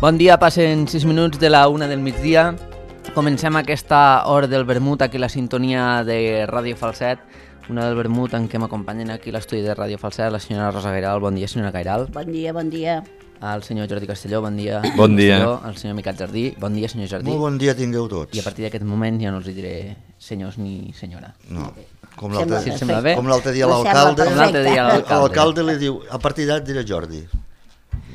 Bon dia, passen 6 minuts de la 1 del migdia. Comencem aquesta hora del vermut aquí a la sintonia de Ràdio Falset. Una del vermut en què m'acompanyen aquí a l'estudi de Ràdio Falset la senyora Rosa Gairal. Bon dia, senyora Gairal. Bon dia, bon dia. El senyor Jordi Castelló, bon dia. Bon dia. Castelló, el senyor Miquel Jardí. Bon dia, senyor Jardí. Molt bon dia tingueu tots. I a partir d'aquest moment ja no els diré senyors ni senyora. No, com Si et sembla bé. com l'altre dia Em sembla l'alcalde, perfecte. Com l'altre dia l'alcalde. l'alcalde li diu, a partir d'ara diré Jordi.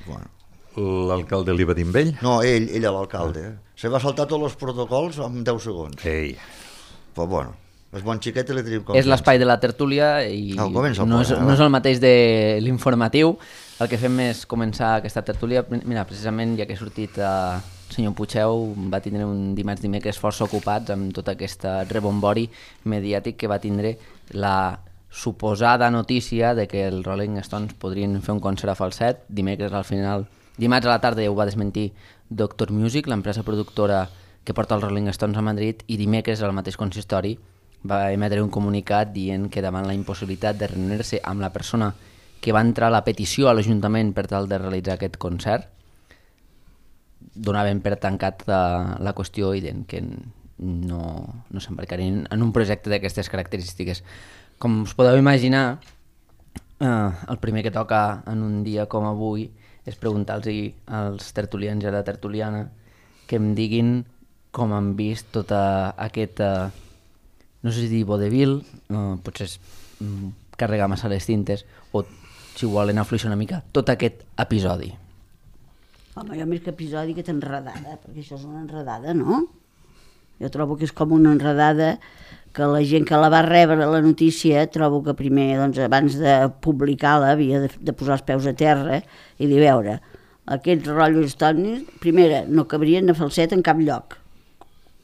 Bueno, L'alcalde li va dir amb ell? no, ell l'alcalde. Se va saltar tots els protocols en 10 segons. Ei. Però bueno, és bon xiquet i li tenim És l'espai de la tertúlia i No, comença el no és programa. el mateix de l'informatiu. El que fem és començar aquesta tertúlia. Mira, precisament ja que ha sortit el senyor Puigdeu, va tindre un dimecres força ocupats amb tot aquest rebombori mediàtic que va tindre la suposada notícia de que els Rolling Stones podrien fer un concert a Falset. Dimarts a la tarda ja ho va desmentir Doctor Music, l'empresa productora que porta els Rolling Stones a Madrid, i dimecres al mateix consistori va emetre un comunicat dient que davant la impossibilitat de reunir-se amb la persona que va entrar la petició a l'Ajuntament per tal de realitzar aquest concert, donaven per tancat la qüestió i deien que no s'embarcarien en un projecte d'aquestes característiques. Com us podeu imaginar, el primer que toca en un dia com avui és preguntar-los als tertulians i a la tertuliana que em diguin com han vist tota aquesta, no sé si dir vodevil, potser és carregar massa les tintes, o si volen afluixar una mica, tot aquest episodi. Home, jo més que episodi, que t'enredada, perquè això és una enredada, no? Jo trobo que és com una enredada que la gent que la va rebre la notícia, trobo que primer, doncs, abans de publicar-la, havia de posar els peus a terra i dir, veure, aquests rotllos tònics, primera, no cabrien a Falset en cap lloc,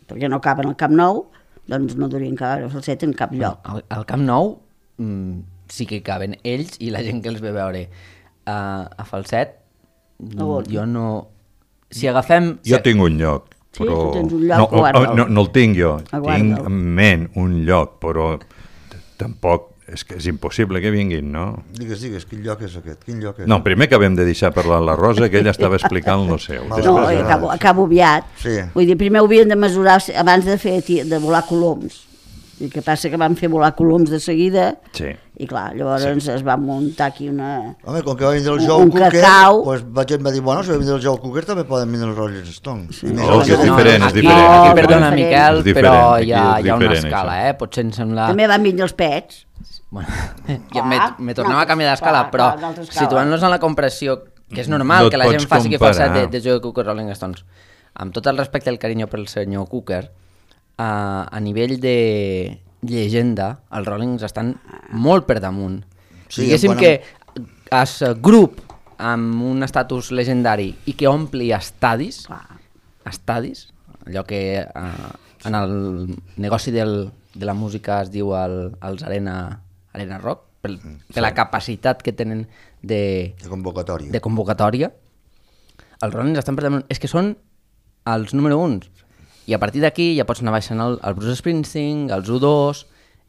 perquè no caben al Camp Nou, doncs no durien caber a Falset en cap lloc. Al Camp Nou sí que caben ells i la gent que els ve veure. A Falset, jo no... Si agafem... Jo tinc un lloc, Sí, però... tu tens un lloc, guarda'l. No el tinc jo, Guarda'l. tinc en ment un lloc, però tampoc és que és impossible que vinguin, no? Digues, quin lloc és aquest? Quin lloc és? No, primer acabem de deixar parlar la Rosa, que ella estava explicant lo seu. Vale. No, Després, acabo aviat. Sí. Vull dir, primer ho havien de mesurar abans de volar coloms. I què passa que van fer volar coloms de seguida Sí. i clar, llavors es va muntar aquí una... Home, com que va vindre el un Joe Cooker, cacau. pues la gent va dir, bueno, si va vindre el Joe Cooker també poden vindre els Rolling Stones. Sí. I més No, els que és de- diferent, és aquí, diferent, és diferent. perdona, És Miquel, diferent, però aquí hi ha és una diferent, escala, això. Potser em sembla... També van vindre els pets. Bueno, ja Clar, me tornem a canviar clar, d'escala, però una altra escala. situant-nos en la comparació, que és normal No et que la gent pots faci que faci comparar. de Joe Cooker Rolling Stones. Amb tot el respecte i el carinyo pel senyor Cooker, a nivell de llegenda, els Rollings estan molt per damunt. Sí, Diguéssim quan que és grup amb un estatus legendari i que ompli estadis, allò que en el negoci de la música es diu els Arena Rock, per la capacitat que tenen de convocatòria. Els Rollins estan per damunt. És que són els número 1. I a partir d'aquí ja pots anar baixant el Bruce Springsteen, els U2,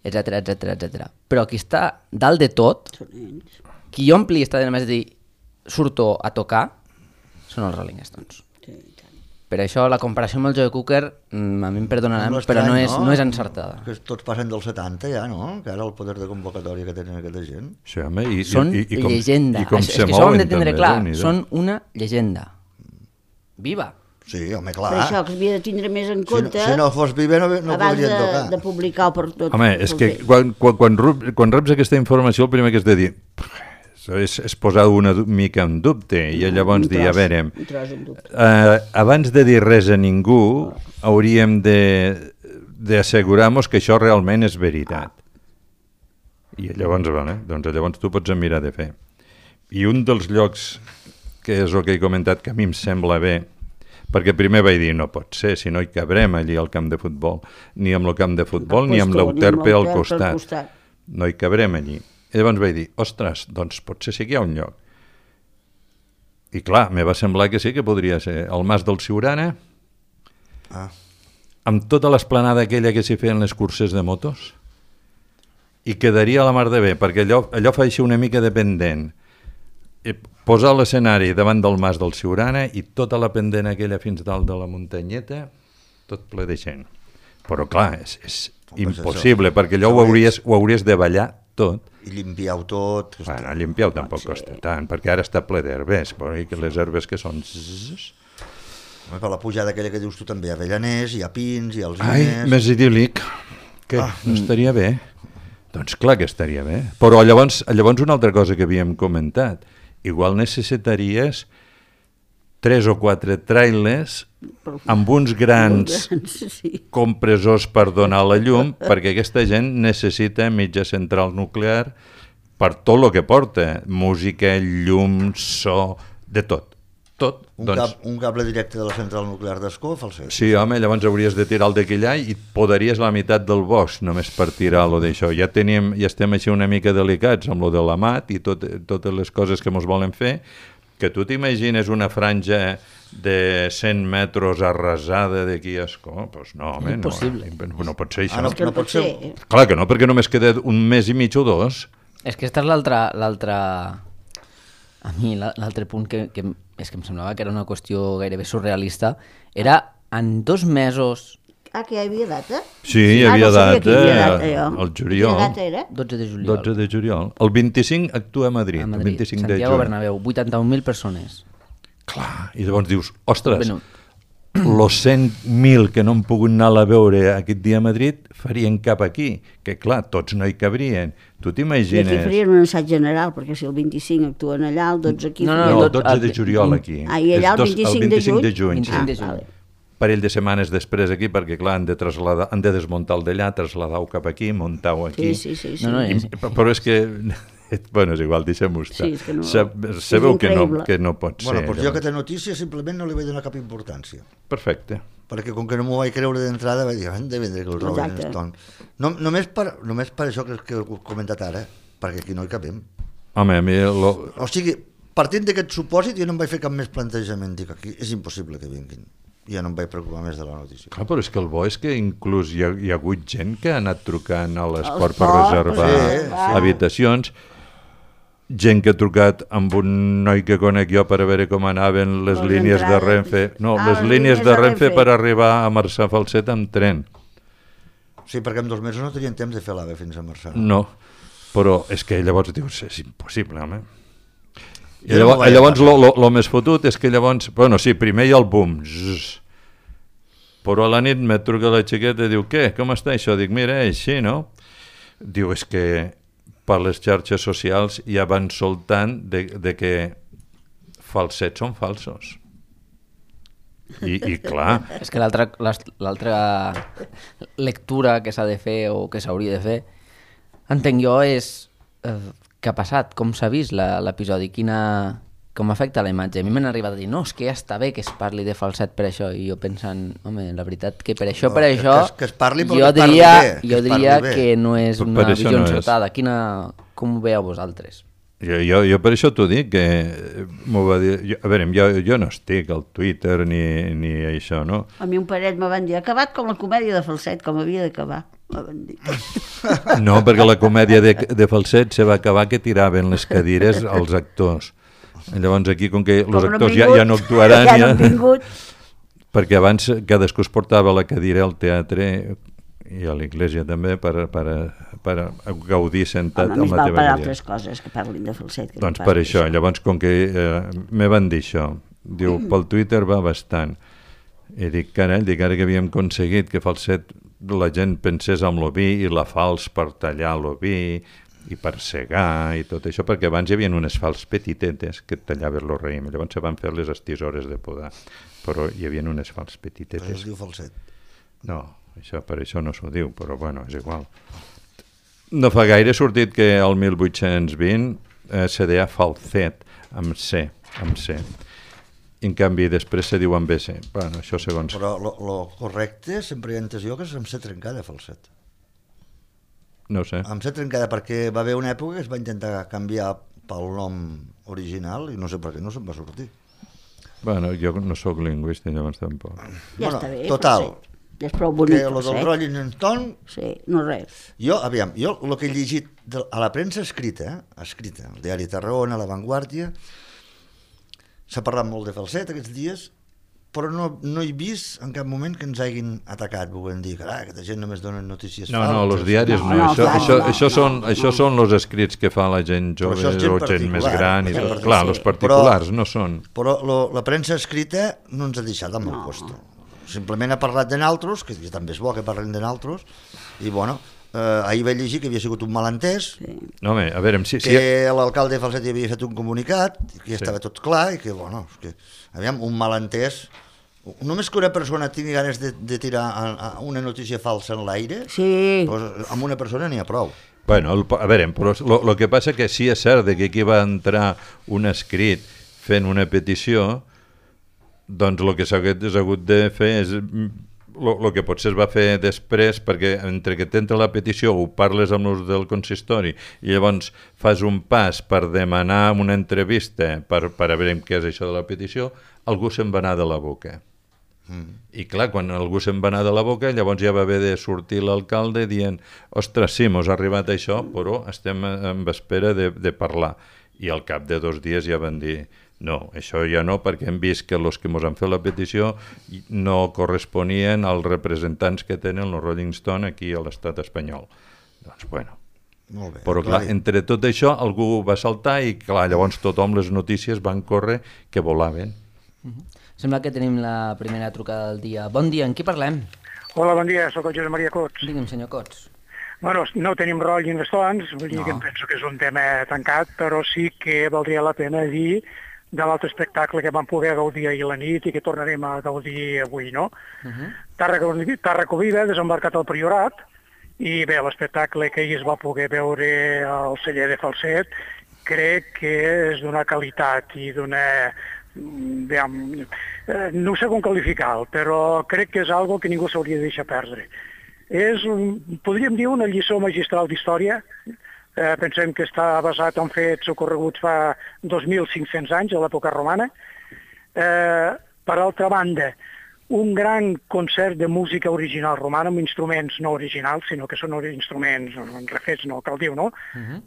etc. Però qui està dalt de tot, Són ells. qui ompli està de més de dir surto a tocar, són els Rolling Stones. Sí, i tant. Per això la comparació amb el Joe Cooker, a mi em perdonaran, però no és encertada. Que tots passen dels 70 ja, no? Que ara el poder de convocatòria que tenen aquesta gent. Sí, home, i Són com, llegenda. I com És se que això ho hem mouen de tindre també, clar. Déu-n'hi-do. Són una llegenda. Viva! Sí, home, Per clar. això que s'havia de tindre més en compte Si no fos viver no abans podrien tocar. de publicar-ho per tot. Home, és que quan reps aquesta informació el primer que has de dir és posar una mica en dubte i llavors dir, a veure, Un tros en dubte. abans de dir res a ningú hauríem d'assegurar-nos que això realment és veritat. I llavors, doncs llavors tu pots mirar de fer. I un dels llocs, que és el que he comentat, que a mi em sembla bé, perquè primer vaig dir, no pot ser, si no hi cabrem allí al camp de futbol, ni amb el camp de futbol, ni amb l'Euterpe al costat. No hi cabrem allí. I llavors vaig dir, ostres, doncs potser sí que hi ha un lloc. I clar, me va semblar que sí que podria ser el Mas del Siurana, amb tota l'esplanada aquella que s'hi feien les curses de motos, i quedaria a la mar de bé, perquè allò fa així una mica de pendent. posar l'escenari davant del mas del Siurana i tota la pendent aquella fins dalt de la muntanyeta, tot ple de gent. Però clar, és impossible, perquè allò ho hauries de ballar tot. I limpiar-ho tot. Bueno, limpiar-ho tampoc costa tant, perquè ara està ple d'herbes, però les herbes que són... Per la pujada aquella que dius tu també, hi ha avellaners, hi ha pins, hi ha alzines... Ai, més idíl·lic. Què? No estaria bé? Doncs clar que estaria bé. Però llavors una altra cosa que havíem comentat, igual necessitaries 3 o 4 trailers amb uns grans compressors per donar la llum, perquè aquesta gent necessita mitja central nuclear per tot el que porta, música, llum, so, de tot. Tot. Un cable directe de la central nuclear d'Ascó, Falset. Sí, home, llavors hauries de tirar el d'aquell i podaries la meitat del bosc només per tirar-lo d'això. Ja estem així una mica delicats amb lo de l'AMAT i totes les coses que ens volen fer, que tu t'imagines una franja de 100 metres arrasada d'aquí a Ascó? Doncs no, home, no pot ser això. No pot ser. Clar que no, perquè només queda un mes i mig o 2. És que aquesta és l'altra... A mi l'altre punt que és que em semblava que era una qüestió gairebé surrealista, era en 2 mesos... Ah, que hi havia data? Sí, hi havia data, el juliol. Quina data era? 12 de juliol. 12 de juliol. El 25 actua a Madrid. El 25 Santiago Bernabéu, 81.000 persones. Clar, i llavors dius, ostres, los 100.000 que no han pogut anar a veure aquest dia a Madrid farien cap aquí, que clar, tots no hi cabrien. Tu t'imagines... I aquí farien un assaig general, perquè si el 25 actuen allà, el 12 aquí... No, el 12 de juliol aquí. Ah, i allà el 25 de juny? Sí. Parell de setmanes després aquí, perquè clar, han de desmuntar el d'allà, traslladar-ho cap aquí, muntar-ho aquí. Sí. Però és que... Bueno, és igual, deixem-ho estar. Sí, és que no... Sabeu que no pot ser. Bueno, doncs jo aquesta notícia simplement no li vaig donar cap importància. Perfecte. Perquè com que no m'ho vaig creure d'entrada, vaig dir, han de vendre que el Rolling Stone. Només per això que he comentat ara, perquè aquí no hi capem. Home, a mi... O sigui, partint d'aquest supòsit, jo no em vaig fer cap més plantejament. Dic, aquí és impossible que vinguin. Ja no em vaig preocupar més de la notícia. Clar, però és que el bo és que inclús hi ha hagut gent que ha anat trucant a l'esport per reservar habitacions, gent que ha trucat amb un noi que conec jo per a veure com anaven les línies de Renfe. No, les línies de Renfe per arribar a Marçà Falset amb tren. Sí, perquè en 2 mesos no tenien temps de fer l'AVE fins a Marçà. No, però és que llavors dius, és impossible, home. I llavors el més fotut és que llavors, bueno, sí, primer hi ha el boom, però a la nit me truca la xiqueta i diu, què, com està això? Dic, mira, així, no? Diu, és que per les xarxes socials ja van soltant de que falsets són falsos. I clar... És que l'altra lectura que s'ha de fer o que s'hauria de fer, entenc jo, és què ha passat, com s'ha vist l'episodi, com afecta la imatge. A mi m'han arribat a dir, no, és que ja està bé que es parli de falset per això, i jo pensant, home, la veritat que per això, que es parli, però jo que es parli bé. Jo diria que no és una visió encertada. Com ho veieu vosaltres? Jo per això t'ho dic, que m'ho va dir... A veure, jo no estic al Twitter ni això, no? A mi un parell me van dir, ha acabat com la comèdia de Falset, com havia d'acabar. No, perquè la comèdia de Falset se va acabar que tiraven les cadires als actors. Llavors aquí, com que els actors ja no actuaran... Ja no han vingut. Perquè abans cadascú es portava la cadira al teatre i a l'església també per gaudir sentat amb la teva per cadira. altres coses que parlin de Falset. Doncs per això, llavors com que me van dir això, diu, pel Twitter va bastant. I dic, carai, ara que havíem aconseguit que Falset la gent pensés en l'oví i la falç per tallar l'oví i per segar i tot això, perquè abans hi havia unes falç petitetes que tallaven el raïm, llavors se van fer les estisores de podar, però hi havia unes falç petitetes. Però es diu Falset. No, per això no s'ho diu, però bueno, és igual. No fa gaire ha sortit que el 1820 se deia Falset, amb C. En canvi, després se diu amb BC. Bueno, això segons... Però lo correcte, sempre hi ha entès jo, que és amb C trencada, Falset. No sé. Amb C trencada, perquè va haver una època que es va intentar canviar pel nom original i no sé per què no se'n va sortir. Bueno, jo no sóc lingüista, llavors tampoc. Ja està bé. Total, Ja és prou bonic, que lo del Rolling Stone... Sí, no res. Jo el que he llegit a la premsa escrita, el diari Tarragona, La Vanguardia, s'ha parlat molt de Falset aquests dies, però no he vist en cap moment que ens hagin atacat, volem dir que aquesta gent només donen notícies falses. No, els diaris no. Això són els escrits que fa la gent jove o gent més gran. Clar, els particulars no són. Però la premsa escrita no ens ha deixat amb el puesto. Simplement ha parlat de naltros, que també és bo que parlen de naltros, i bueno, ahir vaig llegir que havia sigut un malentès, no, home, a veure, que l'alcalde de Falset havia fet un comunicat, que ja estava tot clar, i que, bueno, un malentès. Només que una persona tingui ganes de tirar una notícia falsa en l'aire, doncs amb una persona n'hi ha prou. Bueno, a veure, però el que passa que sí és cert que aquí va entrar un escrit fent una petició, doncs el que s'ha hagut de fer és el que potser es va fer després, perquè entre que t'entra la petició ho parles amb els del consistori i llavors fas un pas per demanar una entrevista per a veure què és això de la petició, algú se'n va anar de la boca. I clar, quan algú se'n va anar de la boca, llavors ja va haver de sortir l'alcalde dient, ostres, sí, mos ha arribat això, però estem en espera de parlar. I al cap de 2 dies ja van dir, no, això ja no, perquè hem vist que els que ens han fet la petició no corresponien als representants que tenen els Rolling Stone aquí a l'estat espanyol. Doncs, bueno. Molt bé, però clar, entre tot això algú va saltar i clar, llavors tothom les notícies van córrer que volaven. Sembla que tenim la primera trucada del dia. Bon dia, en qui parlem? Hola, bon dia, sóc el Josep Maria Cots. Digue'm, senyor Cots. Bueno, no tenim Rolling Stones, vull dir que em penso que és un tema tancat, però sí que valdria la pena dir de l'altre espectacle que vam poder gaudir ahir a la nit i que tornarem a gaudir avui, no? Tàrraco Viva, desembarcat al Priorat, i bé, l'espectacle que ahir es va poder veure al celler de Falset crec que és d'una qualitat i d'una... no sé com qualificar-ho, però crec que és algo que ningú s'hauria de deixar perdre. És, podríem dir, una lliçó magistral d'història. Pensem que està basat en fets ocorreguts fa 2.500 anys, a l'època romana. Per altra banda, un gran concert de música original romana, amb instruments no originals, sinó que són instruments refets, no cal dir, no?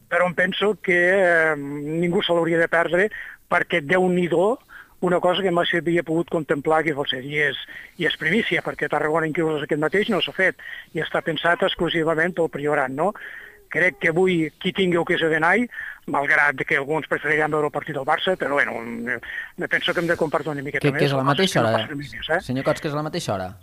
Però em penso que ningú se l'hauria de perdre, perquè Déu-n'hi-do, una cosa que mai s'havia pogut contemplar aquí a Falset, i és primícia, perquè a Tarragona inclús aquest mateix no s'ha fet, i està pensat exclusivament pel Priorat, no? Crec que avui qui tingui ocasió d'anar, malgrat que alguns preferiran veure el partit del Barça, però bueno, penso que hem de compartir una miqueta més. Que és a la mateixa hora? Senyor Cots, que és a la mateixa hora?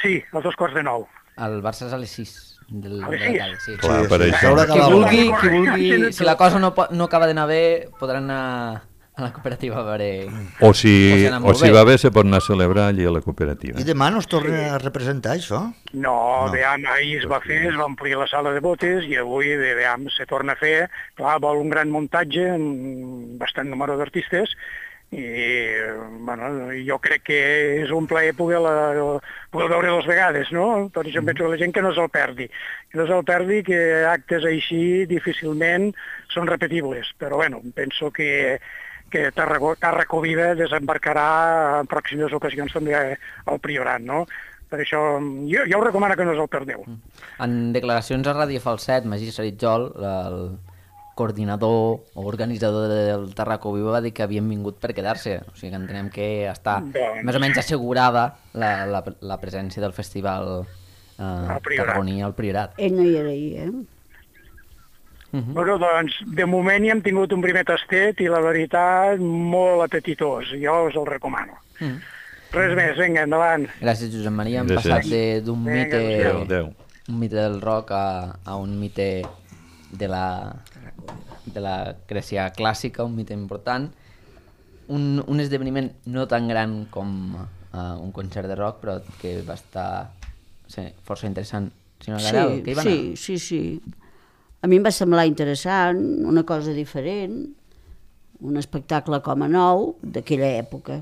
Sí, a 2:45. El Barça és a les 6. A les 6? Sí. Clar, per això. Qui vulgui, si la cosa no acaba d'anar bé, podran anar a la cooperativa a veure... O si va bé, se pot anar a celebrar allí a la cooperativa. I demà no es torna a representar això? No, ahir es va fer, es va omplir la sala de botes i avui se torna a fer. Clar, vol un gran muntatge, bastant número d'artistes, i bueno, jo crec que és un plaer poder veure 2 vegades, no? Per això penso que la gent que no se'l perdi. Que no se'l perdi, que actes així difícilment són repetibles, però bueno, penso que Tàrraco Viva desembarcarà en pròximes ocasions també al Priorat, no? Per això jo ho recomano que no us el perdeu. En declaracions a Ràdio Falset, Magí Saritjol, el coordinador o organitzador del Tàrraco Viva, va dir que havien vingut per quedar-se, o sigui que entenem que està més o menys assegurada la presència del festival tarragoní al Priorat. Ell no hi era ahir, Bueno, doncs, de moment hi hem tingut un primer tastet i la veritat, molt apetitós. Jo us el recomano. Res més, vinga, endavant. Gràcies, Josep Maria. Hem passat d'un mite del rock a un mite de la Grècia clàssica, un mite important. Un esdeveniment no tan gran com un concert de rock, però que va estar força interessant. Sí. A mi em va semblar interessant, una cosa diferent, un espectacle com a nou d'aquella època.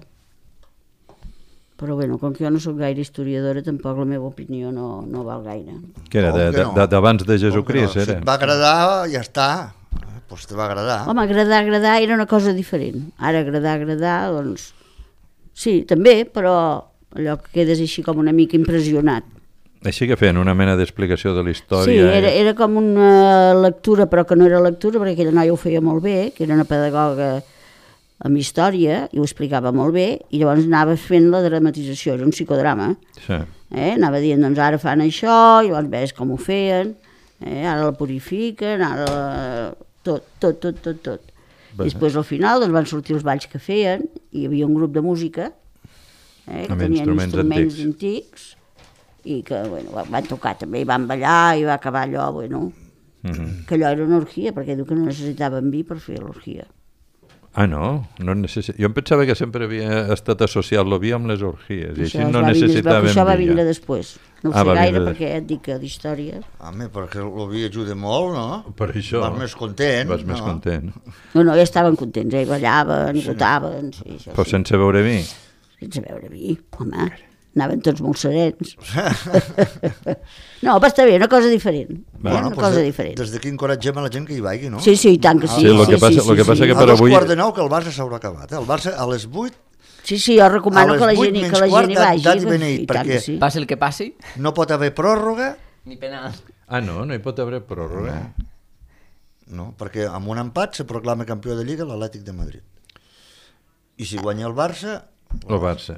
Però bueno, com que jo no soc gaire historiadora, tampoc la meva opinió no val gaire. Que era d'abans de Jesucrist, era? Si et va agradar, ja està. Doncs te va agradar. Home, agradar era una cosa diferent. Ara agradar, doncs... Sí, també, però allò que quedes així com una mica impressionat. Així que feien una mena d'explicació de la història. Sí, era com una lectura, però que no era lectura, perquè aquella noia ho feia molt bé, que era una pedagoga amb història, i ho explicava molt bé, i llavors anava fent la dramatització, era un psicodrama. Sí. Anava dient, doncs ara fan això, i llavors ves com ho feien, ara la purifiquen, ara tot. I després al final doncs, van sortir els balls que feien, i hi havia un grup de música, que tenien instruments antics, i que van tocar també, i van ballar, i va acabar allò, que allò era una orgia, perquè diu que no necessitaven vi per fer l'orgia. Ah, no? Jo em pensava que sempre havia estat associat el vi amb les orgies, i així no necessitaven vi. Això va vindre després. No ho sé gaire, perquè et dic que d'història... Home, perquè el vi ajuda molt, no? Per això. Vas més content. Vas més content. No, ja estaven contents, ballaven, i votaven... Però sense beure vi? Sense beure vi, home... Anaven tots molt serens. No, però està bé, una cosa diferent. Una cosa diferent. Des d'aquí encoratgem a la gent que hi vagi, no? Sí, i tant que sí. Sí, el que passa que per avui... A 2:15 que el Barça s'haurà acabat. El Barça a les 8... Sí, jo recomano que la gent hi vagi. Perquè passi el que passi. No pot haver pròrroga... Ni penal. Ah, no hi pot haver pròrroga. No, perquè amb un empat se proclama campió de Lliga l'Atlètic de Madrid. I si guanya el Barça... El Barça.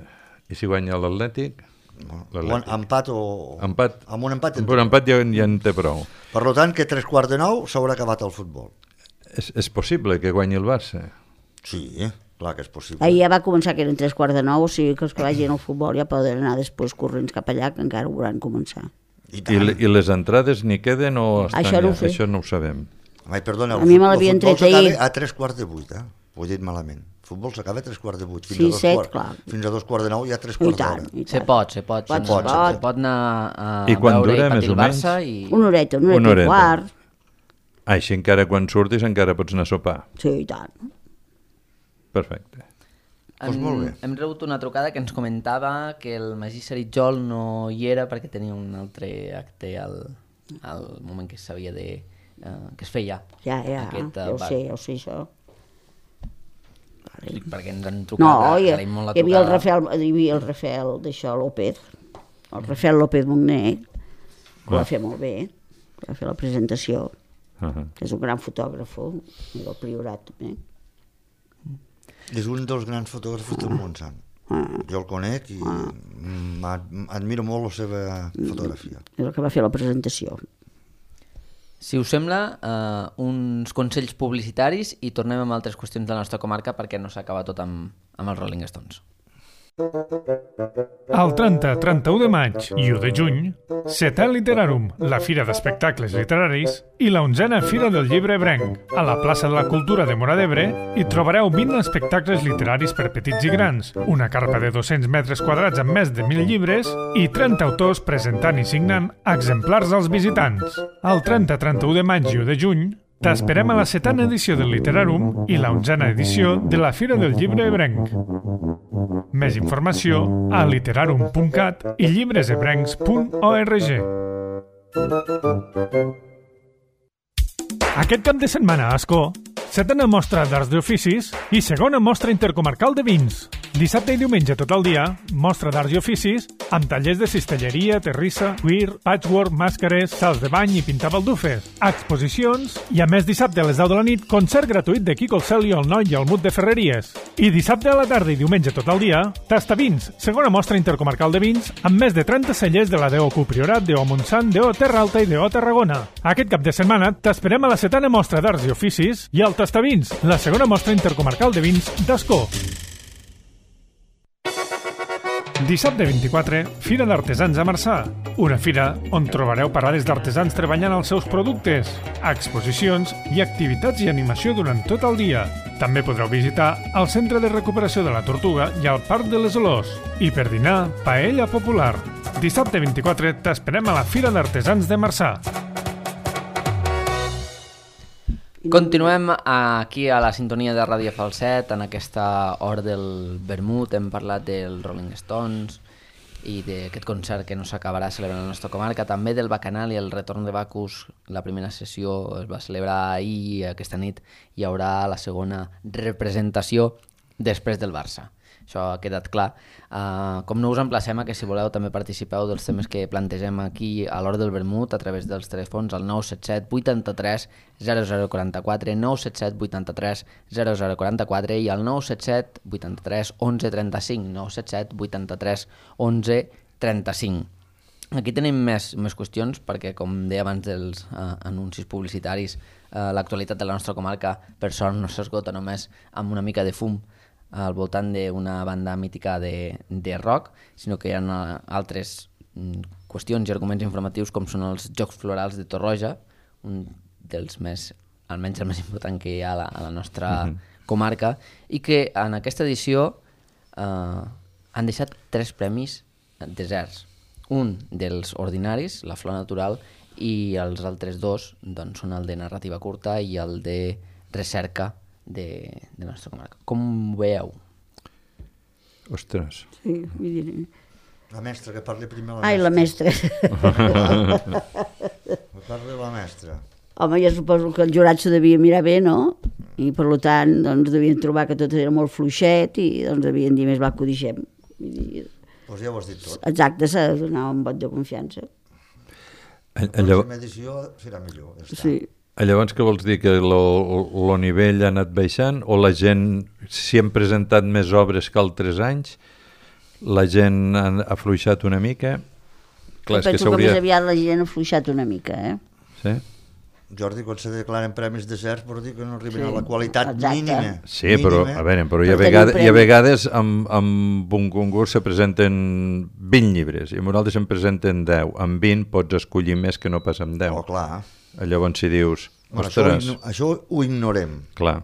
I si guanya l'Atlètic? Empat o... Empat. Amb un empat... Amb un empat ja en té prou. Per tant, que 9:15 s'haurà acabat el futbol. És possible que guanyi el Barça? Sí, clar que és possible. Ahir ja va començar que eren 9:15, o sigui que els que vagin al futbol ja poden anar després corrents cap allà, que encara ho hauran començar. I les entrades n'hi queden o estan això no ja? Això no ho sabem. Ai, perdona, a mi me l'havien tret ahir. A 7:45, ho he dit malament. El futbol s'acaba a 7:45. Sí, 7, clar. Fins a 2:15 hi ha 3/4 d'hora. Se pot anar a veure i patir el Barça. Una horeta i quart. Així encara quan surtis encara pots anar a sopar. Sí, i tant. Perfecte. Molt bé. Hem rebut una trucada que ens comentava que el Magí Saritjol no hi era perquè tenia un altre acte al moment que s'havia de... que es feia. Ja ho sé, això. Perquè ens han trucat, agraïm molt la trucada. Hi havia el Rafael d'això, López, el Rafael López Mogner, que va fer molt bé, va fer la presentació, que és un gran fotògraf, i del Priorat també. És un dels grans fotògrafs del Montsant. Jo el conec i admiro molt la seva fotografia. És el que va fer la presentació. Si us sembla, uns consells publicitaris i tornem amb altres qüestions de la nostra comarca perquè no s'acaba tot amb els Rolling Stones. El 30-31 de maig i 1 de juny, Setè Literarum, la fira d'espectacles literaris, i la 11a Fira del Llibre Ebrenc. A la plaça de la Cultura de Móra d'Ebre hi trobareu 20 espectacles literaris per petits i grans, una carpa de 200 metres quadrats amb més de 1.000 llibres i 30 autors presentant i signant exemplars als visitants. El 30-31 de maig i 1 de juny, t'esperem a la 7a edició del Literarum i la 11a edició de la Fira del Llibre Ebrenc. Més informació a literarum.cat i llibresebrencs.org. Aquest cap de setmana a Ascó, 7a mostra d'arts d'oficis i 2a mostra intercomarcal de vins. Dissabte i diumenge tot el dia, mostra d'arts i oficis amb tallers de cistelleria, terrissa, cuir, patchwork, màscares, sals de bany i pintar baldufes, exposicions i a més dissabte a les 10 de la nit concert gratuït de Quico el Cel i el Noi i el Mut de Ferreries. I dissabte a la tarda i diumenge tot el dia, Tastavins, 2a mostra intercomarcal de vins amb més de 30 cellers de la DO Priorat, DO Montsant, DO Terra Alta i DO Tarragona. Aquest cap de setmana t'esperem a la 7a mostra d'arts i oficis i al Tastavins, la 2a mostra intercomarcal de vins d'Ascó. Dissabte 24, Fira d'Artesans a Marçà. Una fira on trobareu parades d'artesans treballant els seus productes, exposicions i activitats i animació durant tot el dia. També podreu visitar el Centre de Recuperació de la Tortuga i el Parc de les Olors. I per dinar, paella popular. Dissabte 24 t'esperem a la Fira d'Artesans de Marçà. Continuem aquí a la sintonia de Ràdio Falset, en aquesta hora del vermut. Hem parlat dels Rolling Stones i d'aquest concert que no s'acabarà celebrant a la nostra comarca, també del Bacanal i el retorn de Bacus. La primera sessió es va celebrar ahir i aquesta nit hi haurà la segona representació després del Barça. això ha quedat clar. Com no us emplacem a que si voleu també participeu dels temes que plantegem aquí a l'hora del vermut a través dels telèfons al 977 83 0044, 977 83 0044 i al 977 83 11 35, 977 83 11 35. Aquí tenim més qüestions perquè, com deia abans dels anuncis publicitaris, l'actualitat de la nostra comarca, per sort, no s'esgota només amb una mica de fum al voltant d'una banda mítica de rock, sinó que hi ha altres qüestions i arguments informatius com són els Jocs Florals de Torroja, un dels més, almenys el més important que hi ha a la nostra comarca, i que en aquesta edició han deixat 3 premis deserts. Un dels ordinaris, la flor natural, i els altres 2 doncs, són el de narrativa curta i el de recerca de la nostra comarca. Com ho veieu? Ostres. Sí, vull dir... La mestra, que parli primer la mestra. Ai, la mestra. Que parli la mestra. Home, jo suposo que el jurat s'ho devia mirar bé, no? I per tant, doncs, devien trobar que tot era molt fluixet i doncs devien dir més va que ho deixem. Doncs ja ho has dit tot. Exacte, s'ha de donar un vot de confiança. La pròxima edició serà millor. Ja està. Sí. Llavors, què vols dir? Que el nivell ha anat baixant? O la gent, si han presentat més obres que altres anys, la gent ha afluixat una mica? Clar, Penso que més aviat la gent ha afluixat una mica, Sí? Jordi, quan se declaren premis deserts, vol dir que no arriben a la qualitat mínima. Sí, però a veure, però hi ha vegades amb un concurs se presenten 20 llibres i amb un altre se'n presenten 10. Amb 20 pots escollir més que no pas amb 10. Oh, clar. Llavors si dius, Bueno, ostres... això ho ignorem. Clar.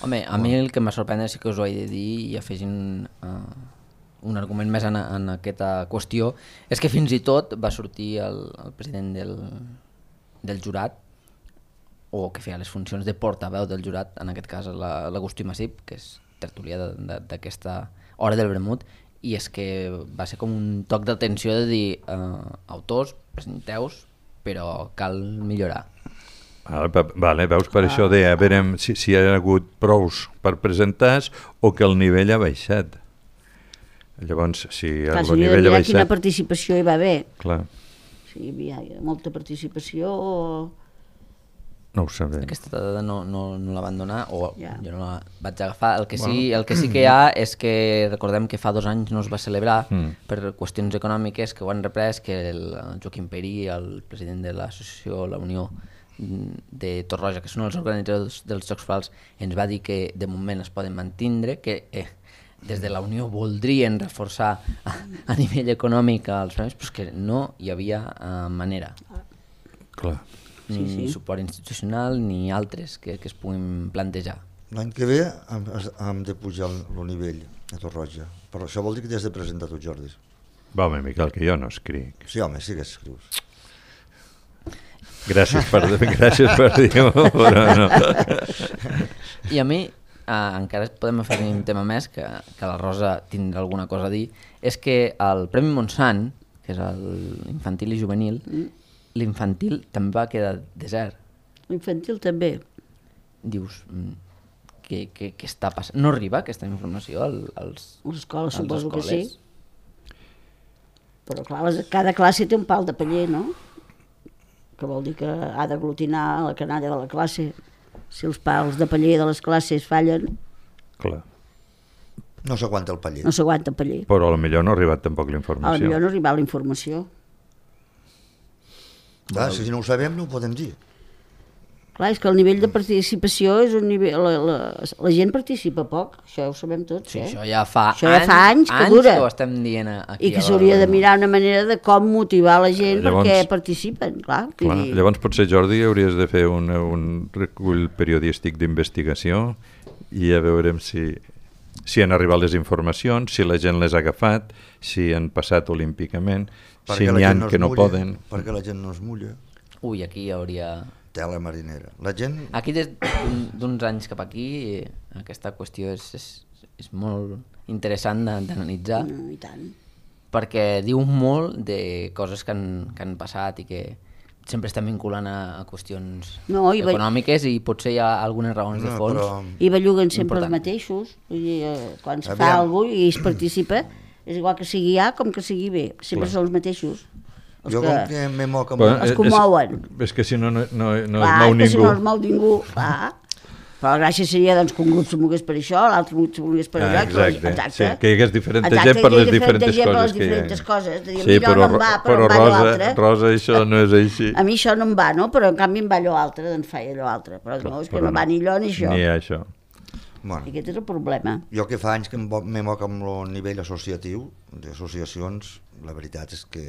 Home, a mi el que m'ha sorprès sí que us ho he de dir i afegint un argument més en aquesta qüestió és que fins i tot va sortir el president del jurat, o que feia les funcions de portaveu del jurat, en aquest cas l'Agustí Massip, que és tertulià d'aquesta hora del vermut, i és que va ser com un toc d'atenció de dir autors, presenteu-vos, però cal millorar. Vale, veus, per això deia, a veure si hi ha hagut prous per presentar o que el nivell ha baixat. Llavors, si el nivell ha baixat... Quina participació hi va haver. Clar. Si hi havia molta participació o... No ho sabem. Aquesta dada no la van donar, o Ja. jo no la vaig agafar. El que sí que hi ha és que recordem que fa 2 anys no es va celebrar per qüestions econòmiques que ho han reprès, que el Joaquim Perí, el president de l'associació La Unió de Torroja, que són els organitzadors dels Jocs Florals, ens va dir que de moment es poden mantindre, que des de la Unió voldrien reforçar a nivell econòmic els premis, però que no hi havia manera. Clar. Ni suport institucional ni altres que es puguin plantejar. L'any que ve hem de pujar el nivell a Torroja. Però això vol dir que t'has de presentar tu, Jordi. Va, home, Miquel, que jo no escric. Sí, home, sí que escrius. Gràcies per dir-ho, però no. I a mi, encara podem afegir un tema més, que la Rosa tindrà alguna cosa a dir, és que el Premi Montsant, que és l'infantil i juvenil, l'infantil també va quedar desert. L'infantil també. Dius, què està passant? No arriba aquesta informació als L'escola suposo que escoles? sí. Però clar, cada classe té un pal de paller, no? Que vol dir que ha d'aglutinar la canalla de la classe. Si els pals de paller de les classes fallen, Clar. No s'aguanta el paller. no s'aguanta el paller. Però potser no ha arribat tampoc A la l'informació. millor no arriba la informació. Clar, si no ho sabem no ho podem dir. Clar, és que el nivell de participació és un nivell... La gent participa poc, això ho sabem tots, Sí, eh? això ja fa anys que dura. que ho estem dient aquí. I que s'hauria de mirar una manera de com motivar la gent Llavors- perquè participen, clar. Clar. Llavors potser, Jordi, hauries de fer un recull periodístic d'investigació i a veurem si han arribat les informacions, si la gent les ha agafat, si han passat olímpicament, si n'hi ha que no poden. Perquè la gent no es mulla. Ui, aquí hi hauria... Tela marinera. La gent... Aquí des d'uns anys cap aquí aquesta qüestió és molt interessant d'analitzar, I tant. perquè diu molt de coses que han passat i que sempre estem vinculant a qüestions econòmiques i potser hi ha algunes raons de fons. I belluguen sempre els mateixos. Vull dir, quan es fa alguna cosa i es participa, és igual que sigui A com que sigui B. Sempre són els mateixos. Jo com que me moc amb... Els commouen. És que si no es mou ningú. Si no es mou ningú, Però la gràcia seria doncs, que un grup se mogués per això, l'altre grup se mogués per allò. Exacte. Sí, que hi hagués diferent gent per les diferents coses que hi ha. Sí, però Rosa, això no és així. A mi això no em va, no? Però en canvi em va allò altre, doncs faig allò altre. Però no, és que no va ni allò ni això. Ni això. Bueno, i aquest és el problema. Jo que fa anys que me moc amb el nivell associatiu, d'associacions, la veritat és que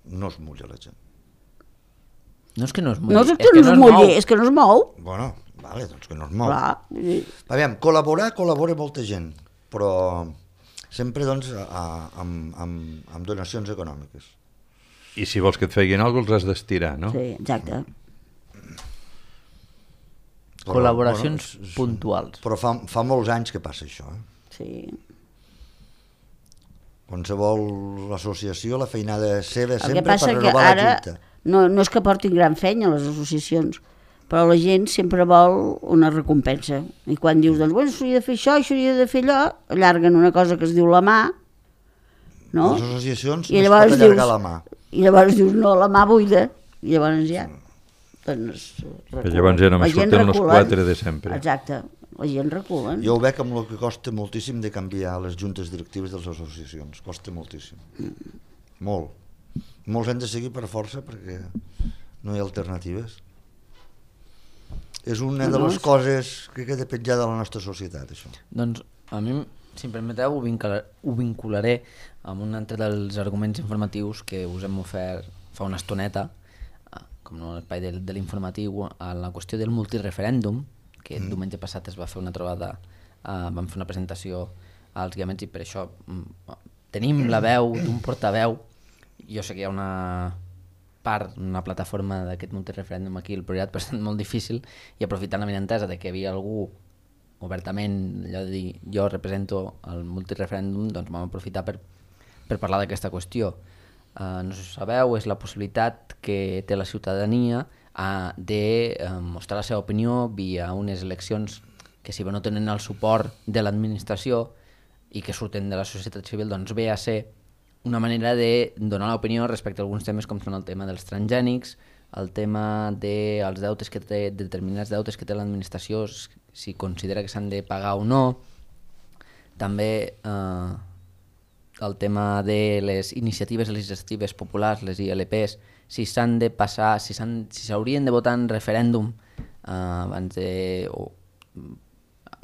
no es mulla la gent. No és que no es mulli, és que no es mou. Bueno, vale, doncs que no es mou. Clar. Aviam, col·labora molta gent, però sempre doncs amb donacions econòmiques. I si vols que et feien alguna cosa els has d'estirar, no? Sí, exacte. Col·laboracions puntuals. Però fa molts anys que passa això. Sí. Qualsevol associació, la feinada seva sempre per renovar la junta. No és que portin gran feina les associacions, però la gent sempre vol una recompensa. I quan dius, doncs, bueno, s'hauria de fer això, s'hauria de fer allò, allarguen una cosa que es diu la mà, no? Les associacions no es pot allargar la mà. I llavors dius, no, la mà buida. I llavors ja... Doncs, llavors ja només surten els 4 de sempre. Exacte, la gent recula. Jo ho veig amb el que costa moltíssim de canviar les juntes directives de les associacions. Costa moltíssim. Molt. Molts hem de seguir per força perquè no hi ha alternatives. És una de les coses que queda petjada a la nostra societat, això. Doncs a mi, si em permeteu, ho vincularé amb un altre dels arguments informatius que us hem ofert fa una estoneta, com no l'espai de l'informatiu, a la qüestió del multireferèndum, que el diumenge passat es va fer una trobada, vam fer una presentació als guiaments i per això tenim la veu d'un portaveu. Jo sé que hi ha una part, una plataforma d'aquest multireferèndum aquí al Priorat, però ha estat molt difícil, i aprofitant la benentesa de que hi havia algú obertament, allò de dir, jo represento el multireferèndum, doncs vam aprofitar per parlar d'aquesta qüestió. No sé si ho sabeu, és la possibilitat que té la ciutadania de mostrar la seva opinió via unes eleccions que, si bé no tenen el suport de l'administració i que surten de la societat civil, doncs ve a ser una manera de donar l'opinió respecte a alguns temes com són el tema dels transgènics, el tema dels deutes que té, determinats deutes que té l'administració, si considera que s'han de pagar o no, també el tema de les iniciatives legislatives populars, les ILPs, si s'han de passar, si s'haurien de votar en referèndum abans de...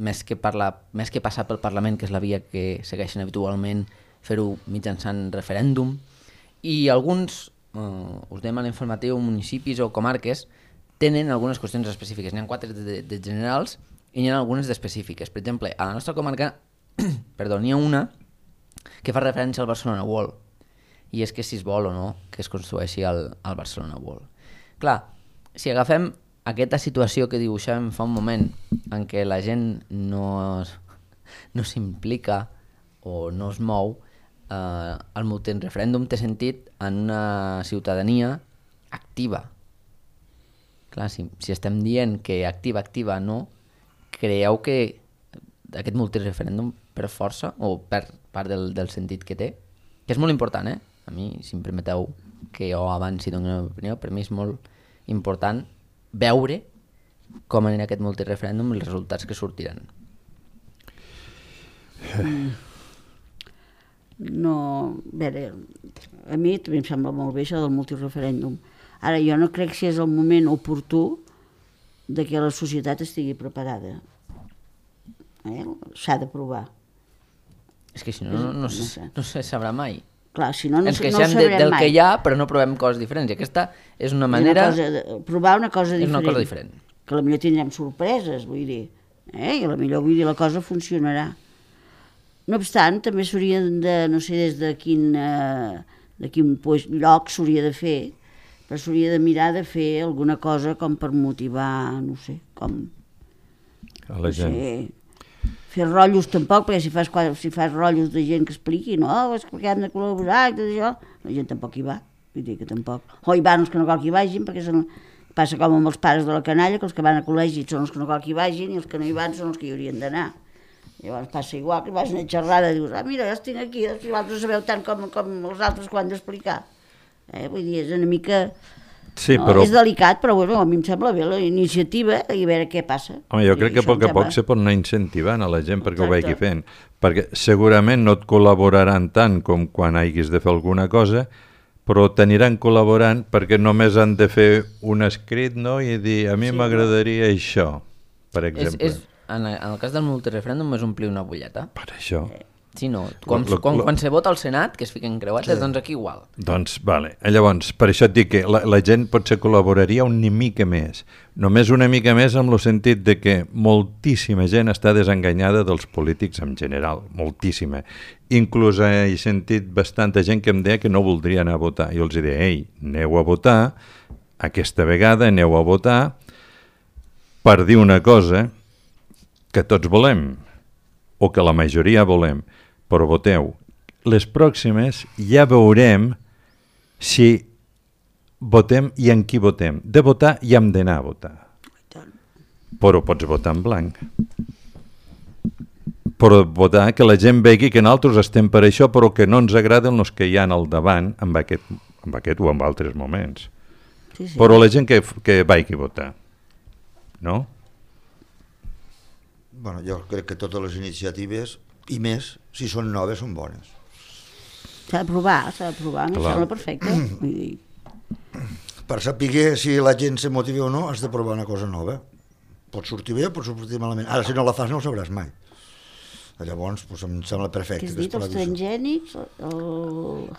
més que passar pel Parlament, que és la via que segueixen habitualment, fer-ho mitjançant referèndum, i alguns, us dèiem a l'informatiu, municipis o comarques tenen algunes qüestions específiques. N'hi ha 4 de generals i n'hi ha algunes d'específiques. Per exemple, a la nostra comarca n'hi ha una que fa referència al Barcelona World, i és que si es vol o no que es construeixi el Barcelona World. Clar, si agafem aquesta situació que dibuixàvem fa un moment, en què la gent no s'implica o no es mou, el multireferèndum té sentit en una ciutadania activa. Clar, si estem dient que activa no, creieu que aquest multireferèndum per força o per part del sentit que té, que és molt important, a mi, si em permeteu que jo avanci d'una meva opinió, per mi és molt important veure com anirà aquest multireferèndum i els resultats que sortiran. No, a veure, a mi també em sembla molt bé això del multireferèndum. Ara, jo no crec si és el moment oportú de que la societat estigui preparada. S'ha de provar. És que si no se sabrà mai. Clar, si no ens queixem del que hi ha, però no provem coses diferents. I aquesta és una manera... Provar una cosa diferent. És una cosa diferent. Que potser tindrem sorpreses, vull dir. I potser, vull dir, la cosa funcionarà. No obstant, també s'hauria de, no sé des de quin lloc s'hauria de fer, però s'hauria de mirar de fer alguna cosa com per motivar, no sé, com... A la gent. Fer rotllos tampoc, perquè si fas rotllos de gent que expliqui, no, és que hem de col·laborar i tot això, la gent tampoc hi va. Vull dir que tampoc... O hi van els que no cal que hi vagin, perquè passa com amb els pares de la canalla, que els que van a col·legi són els que no cal que hi vagin i els que no hi van són els que hi haurien d'anar. Llavors passa igual, que vas a una xerrada i dius, mira, ja estic aquí, els altres sabeu tant com els altres que ho han d'explicar. Vull dir, és una mica... Sí, no, però... és delicat, però bueno, a mi em sembla bé la iniciativa i a veure què passa. Home, jo crec que a poc a poc se pot anar incentivant a la gent perquè ho vagi fent, perquè segurament no et col·laboraran tant com quan hagis de fer alguna cosa, però t'aniran col·laborant perquè només han de fer un escrit, no?, i dir, a mi m'agradaria això, per exemple. En el cas del multireferèndum és omplir una butlleta. Per això. Sí, no. Quan se vota al Senat, que es fiquen creuetes, doncs aquí igual. Doncs, vale. Llavors, per això et dic que la gent potser col·laboraria una mica més. Només una mica més en el sentit de que moltíssima gent està desenganyada dels polítics en general. Moltíssima. Inclús he sentit bastanta gent que em deia que no voldria anar a votar. Jo els deia, ei, aneu a votar, aquesta vegada aneu a votar per dir una cosa que tots volem, o que la majoria volem, però voteu. Les pròximes ja veurem si votem i en qui votem. De votar ja hem d'anar a votar. Però pots votar en blanc. Però votar que la gent vegi que nosaltres estem per això, però que no ens agraden els que hi ha al davant amb aquest o en altres moments. Sí. Però la gent que vagi a votar. No? Bueno, jo crec que totes les iniciatives, i més, si són noves, són bones. S'ha de provar, em sembla perfecte. Vull dir. Per saber si la gent se motiva o no, has de provar una cosa nova. Pot sortir bé o pot sortir malament. Ara, si no la fas, no ho sabràs mai. Llavors, em sembla perfecte. Què has dit, els transgènics?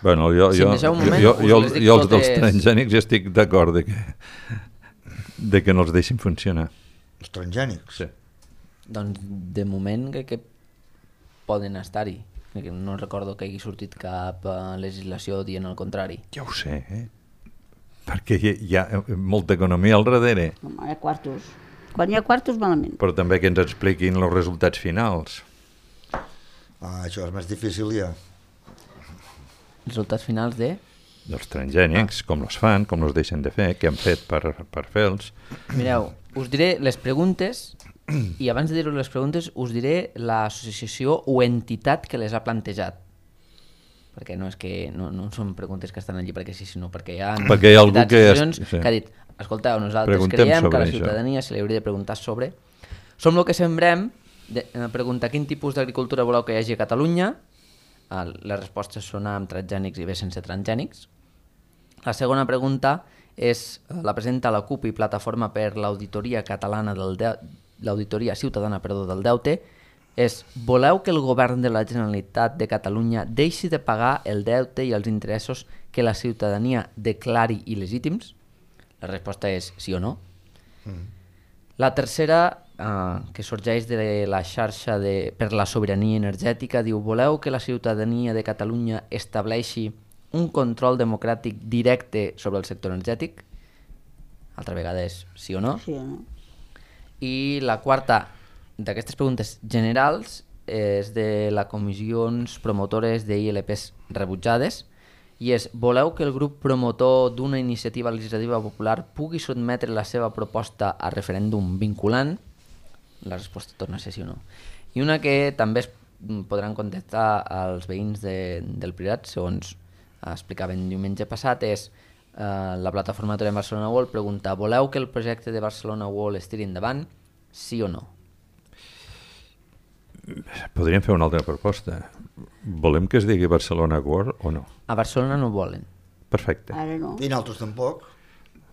Bueno, jo dels transgènics ja estic d'acord de que no els deixin funcionar. Els transgènics? Sí. Doncs de moment crec que poden estar-hi. No recordo que hagi sortit cap legislació dient el contrari. Ja ho sé, perquè hi ha molta economia al darrere. Home, hi ha quartos. Quan hi ha quartos, malament. Però també que ens expliquin els resultats finals. Això és més difícil ja. Resultats finals de? Dels transgènics, com els fan, com els deixen de fer, què han fet per fer-los. Mireu, us diré les preguntes i abans de dir-vos les preguntes us diré l'associació o entitat que les ha plantejat, perquè no és que no són preguntes que estan allí perquè sí, sinó perquè hi ha algú que ha dit, escolteu, nosaltres creiem que a la ciutadania se li hauria de preguntar sobre som el que sembrem, preguntar quin tipus d'agricultura voleu que hi hagi a Catalunya. Les respostes són amb transgènics i bé sense transgènics. La segona pregunta la presenta la CUP i Plataforma per l'Auditoria Catalana l'Auditoria Ciutadana del Deute, és: voleu que el govern de la Generalitat de Catalunya deixi de pagar el deute i els interessos que la ciutadania declari il·legítims? La resposta és sí o no. La tercera, que sorgeix de la xarxa per la sobirania energètica, diu: voleu que la ciutadania de Catalunya estableixi un control democràtic directe sobre el sector energètic? Altra vegada és sí o no. Sí o no. I la quarta d'aquestes preguntes generals és de les comissions promotores d'ILPs rebutjades i és: voleu que el grup promotor d'una iniciativa legislativa popular pugui sotmetre la seva proposta a referèndum vinculant? La resposta torna a ser sí o no. I una que també podran contestar als veïns del Priorat, segons explicaven diumenge passat, és la plataforma Aturem Barcelona World pregunta: voleu que el projecte de Barcelona World es tiri endavant? Sí o no? Podríem fer una altra proposta. Volem que es digui Barcelona World o no? A Barcelona no volen. Perfecte. Ara no. I nosaltres tampoc.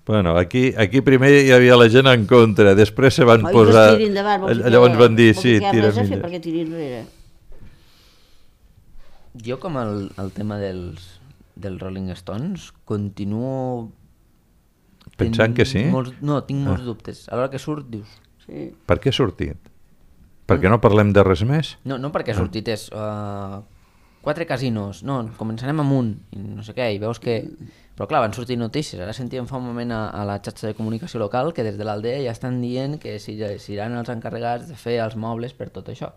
Bueno, aquí primer hi havia la gent en contra, després se van posar... Llavors van dir, sí, tira millor. Perquè tiri enrere. Jo, com el tema dels Rolling Stones, continuo... Pensant que sí? Tinc molts dubtes. A l'hora que surt, dius... Sí. Per què ha sortit? Perquè no parlem de res més? No perquè ha sortit, és 4 casinos, no, començarem amb un, i no sé què, i veus que... Però clar, van sortir notícies, ara sentíem fa un moment a la xarxa de comunicació local que des de l'Aldea ja estan dient que seran els encarregats de fer els mobles per tot això,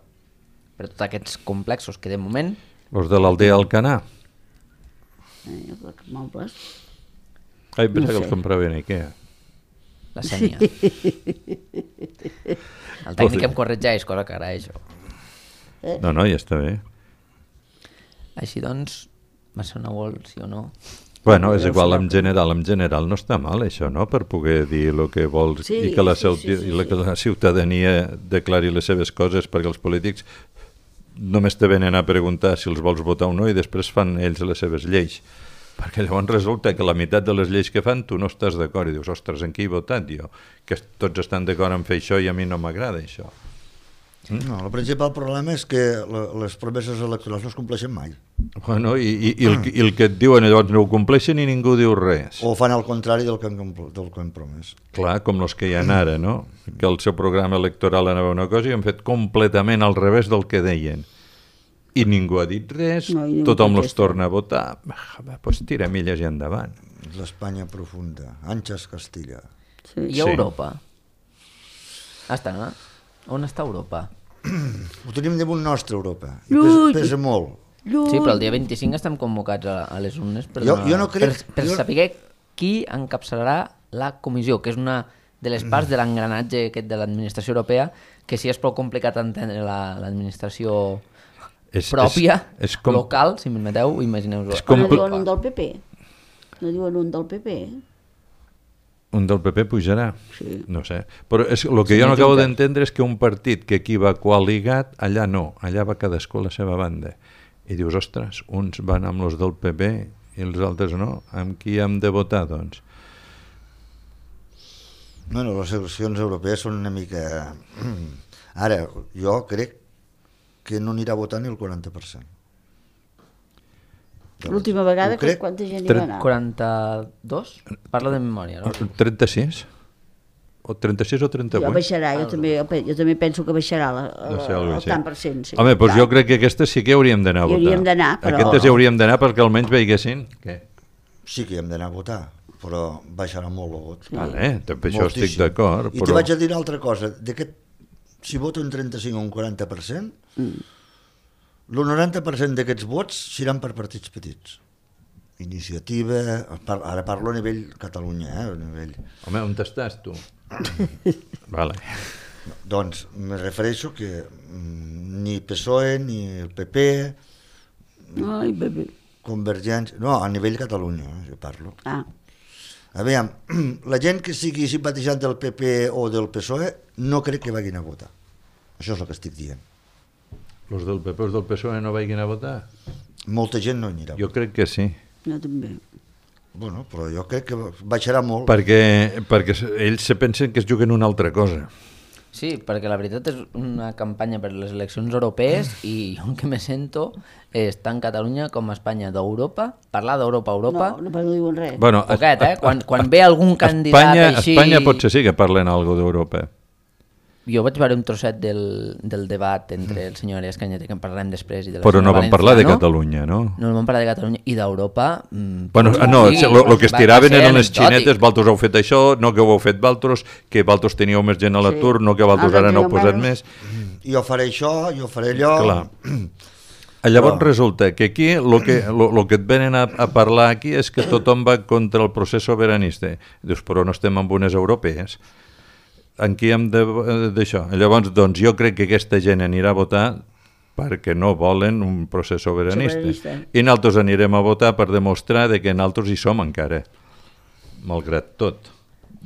per tots aquests complexos que de moment... Els de l'Aldea Alcanar? Mobles. Ai, pensava que els compraven a Ikea. La Sènia. El tècnic em corregeix, cosa que agraeixo. No, ja està bé. Així doncs, Barcelona World, sí o no? Bueno, és igual, en general no està mal això, no?, per poder dir el que vols i que la ciutadania declari les seves coses, perquè els polítics només te venen a preguntar si els vols votar o no i després fan ells les seves lleis, perquè llavors resulta que la meitat de les lleis que fan tu no estàs d'acord i dius, ostres, en qui he votat jo? Que tots estan d'acord en fer això i a mi no m'agrada això. No, el principal problema és que les promeses electorals no es compleixen mai. Bueno, i el que et diuen llavors no ho compleixen i ningú diu res. O fan el contrari del que han promès. Clar, com els que hi ha ara, no? Que el seu programa electoral anava una cosa i han fet completament al revés del que deien. I ningú ha dit res, tothom els torna a votar. Doncs tira milles i endavant. L'Espanya profunda, Àngels Castilla. I Europa? Està, no? On està Europa? Ho tenim damunt nostre, Europa. Pesa molt. Sí, però el dia 25 estem convocats a les urnes per saber qui encapçalarà la comissió, que és una de les parts de l'engranatge aquest de l'administració europea, que sí és prou complicat entendre l'administració pròpia, local, si m'ho permeteu, imagineu-vos. No diuen un del PP? No diuen un del PP? Un del PP pujarà? Sí. No sé. Però el que jo no acabo d'entendre és que un partit que aquí va coaligat, allà no, allà va cadascú a la seva banda. I dius, ostres, uns van amb els del PP i els altres no. Amb qui hem de votar, doncs? Bueno, les eleccions europees són una mica... Ara, jo crec que no anirà a votar ni el 40%. L'última vegada, quanta gent hi va anar? 42? Parla de memòria, no? 36? O 36 o 38? Jo baixarà, jo també penso que baixarà el tant per cent. Sí. Home, doncs jo crec que aquestes sí que hauríem d'anar a votar. Hauríem d'anar, però... Aquestes hi hauríem d'anar perquè almenys veigessin. Què? Sí que hi hem d'anar a votar, però baixarà molt el vot. Sí. Vale, també això estic d'acord. I te vaig a dir una altra cosa, si voto un 35 o un 40%, el 90% d'aquests vots seran per partits petits. Iniciativa, ara parlo a nivell Catalunya, a nivell... Home, on estàs tu? Vale. Doncs me refereixo que ni PSOE, ni el PP, Ai, bebé. Convergència... No, a nivell Catalunya, jo parlo. Aviam, la gent que sigui simpatitzant del PP o del PSOE no crec que vagin a votar. Això és el que estic dient. Els del PP o els del PSOE no vagin a votar? Molta gent no anirà. Jo crec que sí. Jo també. Bueno, però jo crec que baixarà molt. Perquè ells se pensen que es juguen una altra cosa. Sí, perquè la veritat és una campanya per les eleccions europees i jo el que me sento és tant Catalunya com Espanya d'Europa, parlar d'Europa. No diuen res. Bueno, poquet, quan ve algun candidat així... Espanya potser sí que parlen alguna cosa d'Europa. Jo vaig veure un trosset del debat entre el senyor Arias Cañete, que en parlarem després, i de la però no van parlar de Catalunya, no? No van parlar de Catalunya i d'Europa. Bueno, no, el que es tiraven eren les xinetes, vosaltres heu fet això, no que ho heu fet vosaltres, que vosaltres teníeu més gent a l'atur, no que vosaltres ara no heu posat més. Jo faré això, jo faré allò... Clar. Llavors resulta que aquí el que et venen a parlar aquí és que tothom va contra el procés sobiranista. Dius, però no estem amb unes europees. En qui hem d'això? Llavors, doncs, jo crec que aquesta gent anirà a votar perquè no volen un procés sobiranista. I nosaltres anirem a votar per demostrar que nosaltres hi som encara, malgrat tot.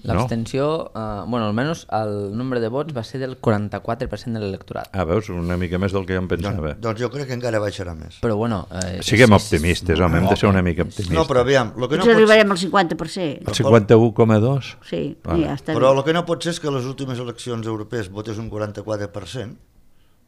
L'abstenció, bueno, almenys el nombre de vots va ser del 44% de l'electorat. Veus, una mica més del que jo em pensava. Doncs jo crec que encara baixarà més. Però bueno... Siguem optimistes, home, hem de ser una mica optimistes. No, però aviam... Ens arribarem al 50%. El 51,2? Sí, ja està bé. Però el que no pot ser és que a les últimes eleccions europees votés un 44%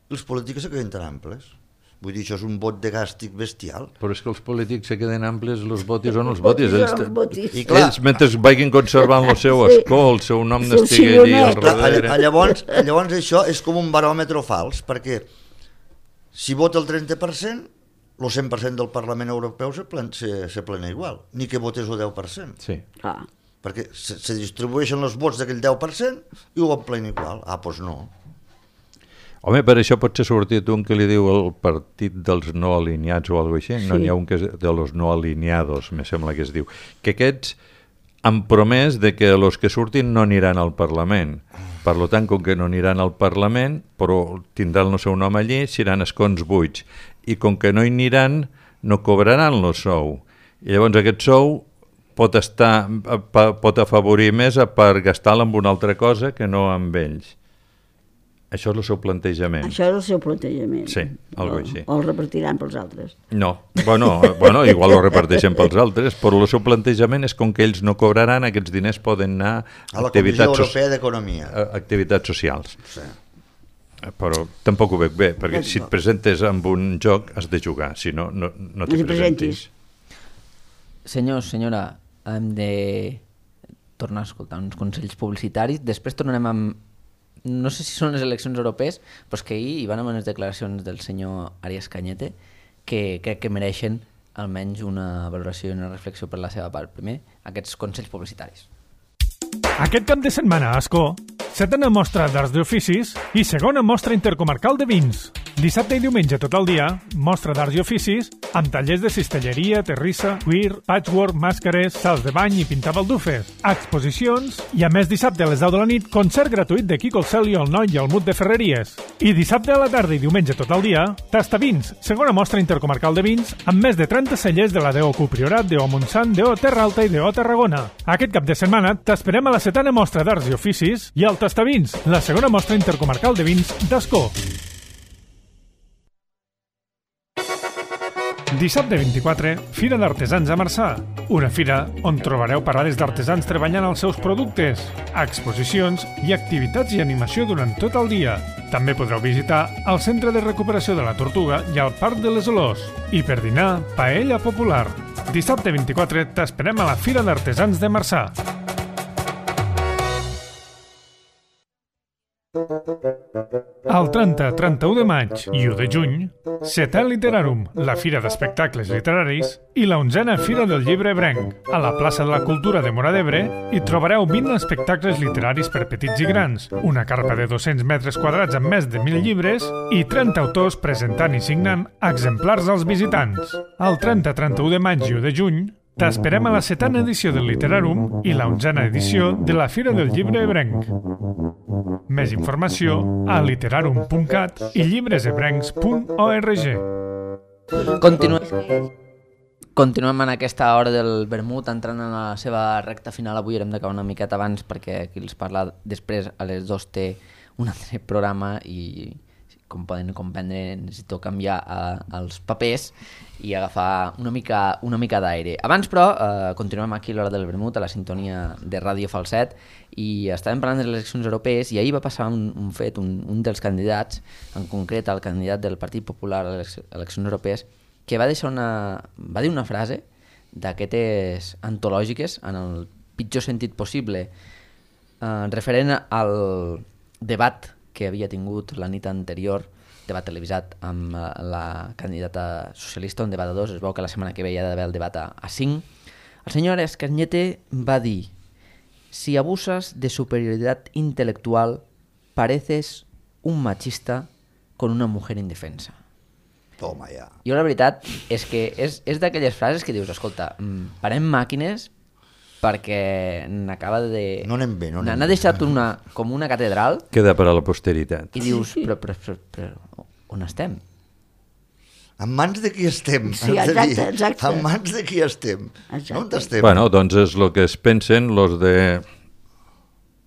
i els polítics se queden tan amples. Vull dir, això és un vot de gàstic bestial. Però és que els polítics se queden amples, els votis són els votis. Ells, mentre vagin conservant el seu escó, el seu nom n'estigui allí al darrere. Llavors això és com un baròmetre fals, perquè si vota el 30%, el 100% del Parlament Europeu se plena igual, ni que votés el 10%. Sí. Perquè se distribueixen els vots d'aquell 10% i ho plena igual. Doncs no. Home, per això pot ser sortit un que li diu el partit dels no alineats o alguna cosa així. No, n'hi ha un que és de los no alineados, me sembla que es diu. Que aquests han promès de que els que surtin no aniran al Parlament. Per tant, com que no aniran al Parlament, però tindran el seu nom allí, seran escons buits. I com que no hi aniran, no cobraran el sou. I llavors aquest sou pot afavorir més per gastar-lo en una altra cosa que no amb ells. Això és el seu plantejament. Això és el seu plantejament. Sí, algo així. O el repartiran pels altres. No, bueno, igual ho reparteixen pels altres, però el seu plantejament és com que ells no cobraran, aquests diners poden anar a la Comissió Europea d'Economia. Activitats socials. Sí. Però tampoc ho veig bé, perquè si et presentes amb un joc has de jugar, si no, no t'hi presentis. Senyors, senyora, hem de tornar a escoltar uns consells publicitaris, després tornarem amb... No sé si són les eleccions europees, però és que ahir hi van haver unes declaracions del senyor Arias Cañete que crec que mereixen almenys una valoració i una reflexió per la seva part. Primer, aquests consells publicitaris. Aquest cap de setmana a Ascó, setena mostra d'arts d'oficis i segona mostra intercomarcal de vins. Dissabte i diumenge tot el dia, mostra d'arts i oficis amb tallers de cistelleria, terrissa, cuir, patchwork, màscares, salts de bany i pintar baldufes, exposicions i a més dissabte a les 10 de la nit concert gratuït de Quico el Cel i el Noi i el Mut de Ferreries. I dissabte a la tarda i diumenge tot el dia, Tastavins, segona mostra intercomarcal de vins amb més de 30 cellers de la DO Priorat, DO Montsant, DO Terra Alta i DO Tarragona. Aquest cap de setmana t'esperem a la setena mostra d'arts i oficis i al Tastavins, la segona mostra intercomarcal de vins d'Ascó. Dissabte 24, Fira d'Artesans a Marçà. Una fira on trobareu parades d'artesans treballant els seus productes, exposicions i activitats i animació durant tot el dia. També podreu visitar el Centre de Recuperació de la Tortuga i el Parc de les Olors. I per dinar, paella popular. Dissabte 24 t'esperem a la Fira d'Artesans de Marçà. El 30-31 de maig i 1 de juny, Setè Literarum, la fira d'espectacles literaris, i la 11a Fira del Llibre Ebrenc. A la plaça de la Cultura de Móra d'Ebre hi trobareu 20 espectacles literaris per petits i grans, una carpa de 200 metres quadrats amb més de 1.000 llibres i 30 autors presentant i signant exemplars als visitants. El 30-31 de maig i 1 de juny, t'esperem a la 7a edició del Literarum i la 11a edició de la Fira del Llibre Ebrenc. Més informació a literarum.cat i llibresebrencs.org. Continuem en aquesta hora del vermut, entrant en la seva recta final. Avui haurem d'acabar una miqueta abans perquè qui els parla després a les 2 té un altre programa i, com poden comprendre, necessito canviar els papers i agafar una mica d'aire. Abans, però, continuem aquí a l'hora del vermut, a la sintonia de Ràdio Falset, i estàvem parlant de les eleccions europees i ahir va passar un fet, un dels candidats, en concret el candidat del Partit Popular a les eleccions europees, que va dir una frase d'aquestes antològiques, en el pitjor sentit possible, referent al debat que havia tingut la nit anterior, debat televisat amb la candidata socialista, un debat a 2, es veu que la setmana que ve hi ha d'haver el debat a 5. El senyor Cañete va dir: si abusas de superioridad intelectual, pareces un machista con una mujer indefensa. Toma ja. Jo la veritat és que és d'aquelles frases que dius, escolta, parem màquines perquè n'acaba de... No anem bé, no anem bé. N'ha deixat com una catedral. Queda per a la posteritat. I dius, però on estem? En mans de qui estem? Sí, exacte. En mans de qui estem? Exacte. On estem? Bueno, doncs és el que es pensen los de...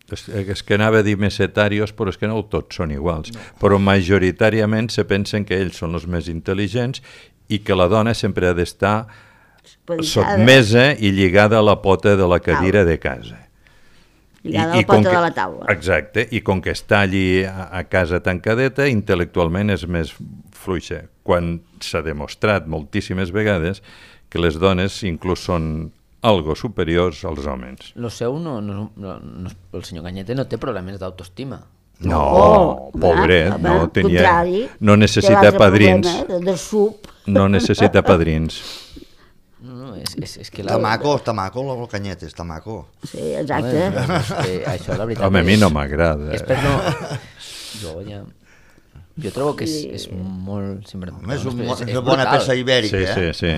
És que anava a dir mesetarios, però és que no tots són iguals. No. Però majoritàriament se pensen que ells són els més intel·ligents i que la dona sempre ha d'estar sotmesa i lligada a la pota de la cadira de casa. Lligada a la pota de la taula. Exacte, i com que està allí a casa tancadeta, intel·lectualment és més fluixa. Quan s'ha demostrat moltíssimes vegades que les dones inclús són algo superiors als homes. Lo seu el senyor Cañete no té problemes d'autoestima. No, pobret, no tenia... No necessita padrins. No necessita padrins. No, és que està maco, el Cañete, està maco. Sí, exacte. Això, la veritat... Home, a mi no m'agrada. És per no... Jo ja... Jo trobo que és molt... Sempre, és una bona peça ibèrica, sí.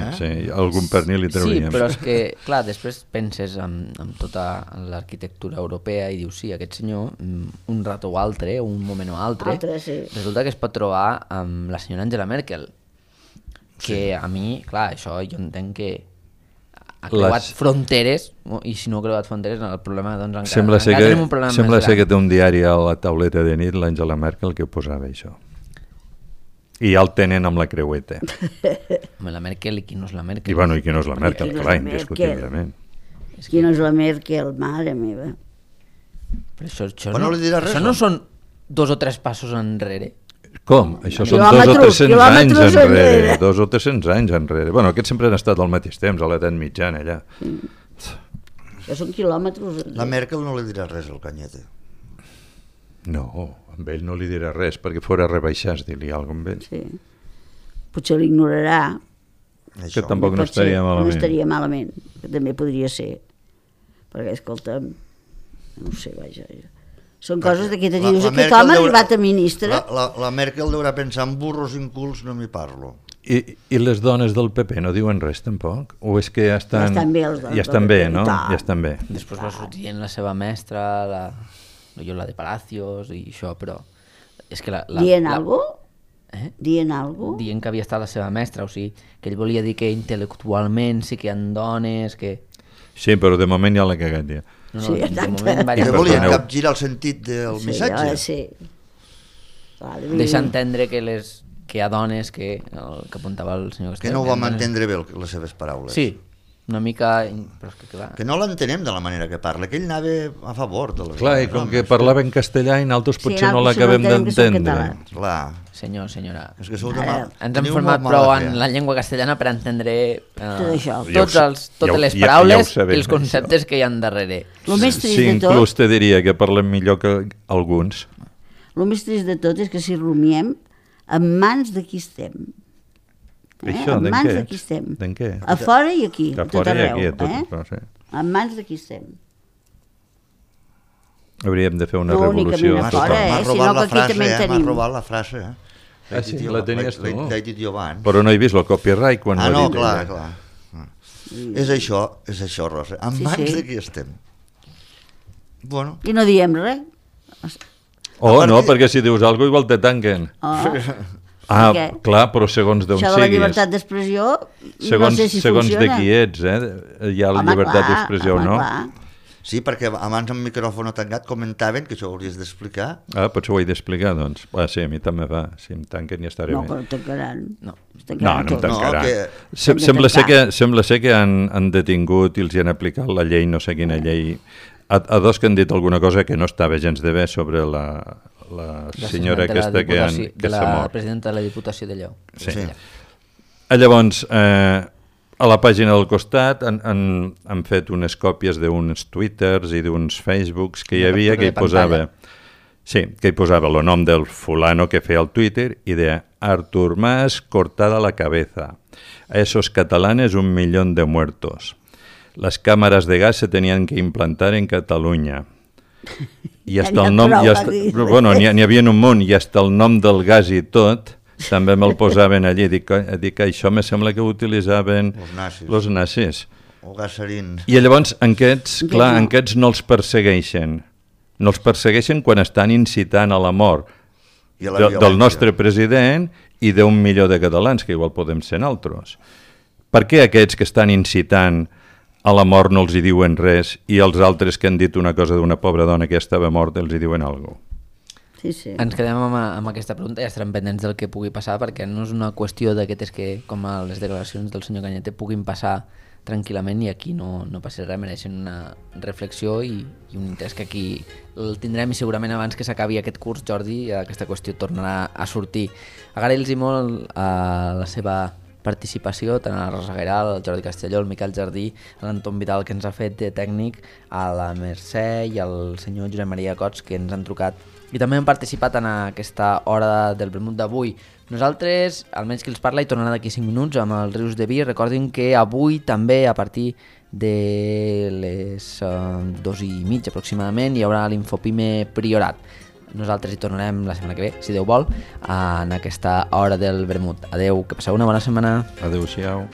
Algun pernil li trauríem. Sí, però és que, clar, després penses en tota l'arquitectura europea i dius, sí, aquest senyor, un rato o altre, un moment o altre, resulta que es pot trobar amb la senyora Angela Merkel, que a mi, clar, això jo entenc que ha creuat fronteres, i si no ha creuat fronteres, el problema, doncs, encara tenim un problema més gran. Sembla ser que té un diari a la tauleta de nit, l'Angela Merkel, que posava això. I ja el tenen amb la creueta. Home, la Merkel, i qui no és la Merkel? I bueno, i qui no és la Merkel, clar, indiscutiblement. Qui no és la Merkel, mare meva. Però això no són 2 o 3 passos enrere? Com? Això són 200 o 300 anys enrere. 200 o 300 anys enrere. Bueno, aquests sempre han estat al mateix temps, a l'edat mitjana, allà. Això són quilòmetres. La Merkel no li dirà res al Cañete. No, amb ell no li dirà res, perquè fora rebaixats, dir-li alguna cosa amb ell. Sí. Potser l'ignorarà. Que tampoc no estaria malament. No estaria malament, que també podria ser. Perquè, escolta'm, no sé, vaja... Són coses de que te dius, aquest home ha arribat a ministre. La Merkel deurà pensar en burros incults, no m'hi parlo. I les dones del PP no diuen res tampoc? O és que ja estan... Ja estan bé, les dones. Ja estan bé, no? Ja estan bé. Després va sortir la seva mestra, la de Palacios i això, però... És que dient alguna cosa? Dient alguna cosa? Dient que havia estat la seva mestra, o sigui, que ell volia dir que intel·lectualment sí que hi ha dones, que... Sí, però de moment ja l'ha cagat, ja. Sí, exacte. Que volien capgirar el sentit del missatge. Sí. Deixa entendre que hi ha dones que apuntava el senyor Castellà. Que no ho vam entendre bé, les seves paraules. Sí, una mica... Però és que, clar... Que no l'entenem de la manera que parla, que ell anava a favor de les... Clar, i com que parlava en castellà i nosaltres potser no l'acabem d'entendre. Clar. Senyor, senyora, és que ens hem format prou en la llengua castellana per entendre totes les les paraules i els conceptes que hi ha darrere. Sí, inclús te diria que parlem millor que alguns. El més trist de tot és que si rumiem, en mans de qui estem. Això, en mans de qui estem. D'en què? A fora i aquí, a tot arreu. Sí. En mans de qui estem. Hauríem de fer una revolució. M'ha robat la frase, sí, la tenies tu. L'he dit jo abans. Però no he vist el copyright quan l'ha dit. Clar. És això, Rosa. En mans de qui estem. Bueno. I no diem res. No, perquè si dius alguna cosa igual te tanquen. Clar, però segons d'on siguis. Això de la llibertat d'expressió, no sé si funciona. Segons de qui ets, hi ha la llibertat d'expressió o no. Sí, perquè abans amb micròfon tancat comentaven que això ho hauries d'explicar. Potser ho he d'explicar, doncs. Sí, a mi també va. Si em tanquen ja estaré bé. No, però tancaran. No em tancaran. Sembla ser que han detingut i els hi han aplicat la llei, no sé quina llei, a dos que han dit alguna cosa que no estava gens de bé sobre la senyora aquesta que s'ha mort. La presidenta de la Diputació de Lleó. Sí. Llavors... A la pàgina del costat han fet unes còpies d'uns Twitters i d'uns Facebooks que hi havia que hi posava... Sí, que hi posava el nom del fulano que feia el Twitter i de Artur Mas cortada la cabeza. A esos catalanes 1 millón de muertos. Las cámaras de gas se tenían que implantar en Catalunya. I hasta el nom... Bueno, n'hi havia un munt i hasta el nom del gas i tot... també me'l posaven allí, dic que això me sembla que ho utilitzaven els nazis. O gasserins. I llavors aquests no els persegueixen. No els persegueixen quan estan incitant a la mort del nostre president i d'1 milió de catalans, que igual podem ser nosaltres. Per què aquests que estan incitant a la mort no els hi diuen res i els altres que han dit una cosa d'una pobra dona que estava morta els hi diuen alguna cosa? Sí. Ens quedem amb aquesta pregunta i estarem pendents del que pugui passar, perquè no és una qüestió d'aquestes que, com a les declaracions del senyor Cañete, puguin passar tranquil·lament i aquí no passi res, mereixen una reflexió i un interès que aquí el tindrem i segurament abans que s'acabi aquest curs, Jordi, aquesta qüestió tornarà a sortir. Agrair-los molt la seva participació, tant a la Rosa Guerral, al Jordi Castelló, al Miquel Jardí, a l'Anton Vidal que ens ha fet de tècnic, a la Mercè i al senyor Josep Maria Cots que ens han trucat i també hem participat en aquesta hora del vermut d'avui. Nosaltres, almenys qui els parla, hi tornarà d'aquí 5 minuts amb els Rius de Vi. Recordin que avui també a partir de les 2:30 aproximadament hi haurà l'Infopime Priorat. nosaltres hi tornarem la setmana que ve, si Déu vol, en aquesta hora del vermut. Adeu, que passeu una bona setmana. Adéu-siau.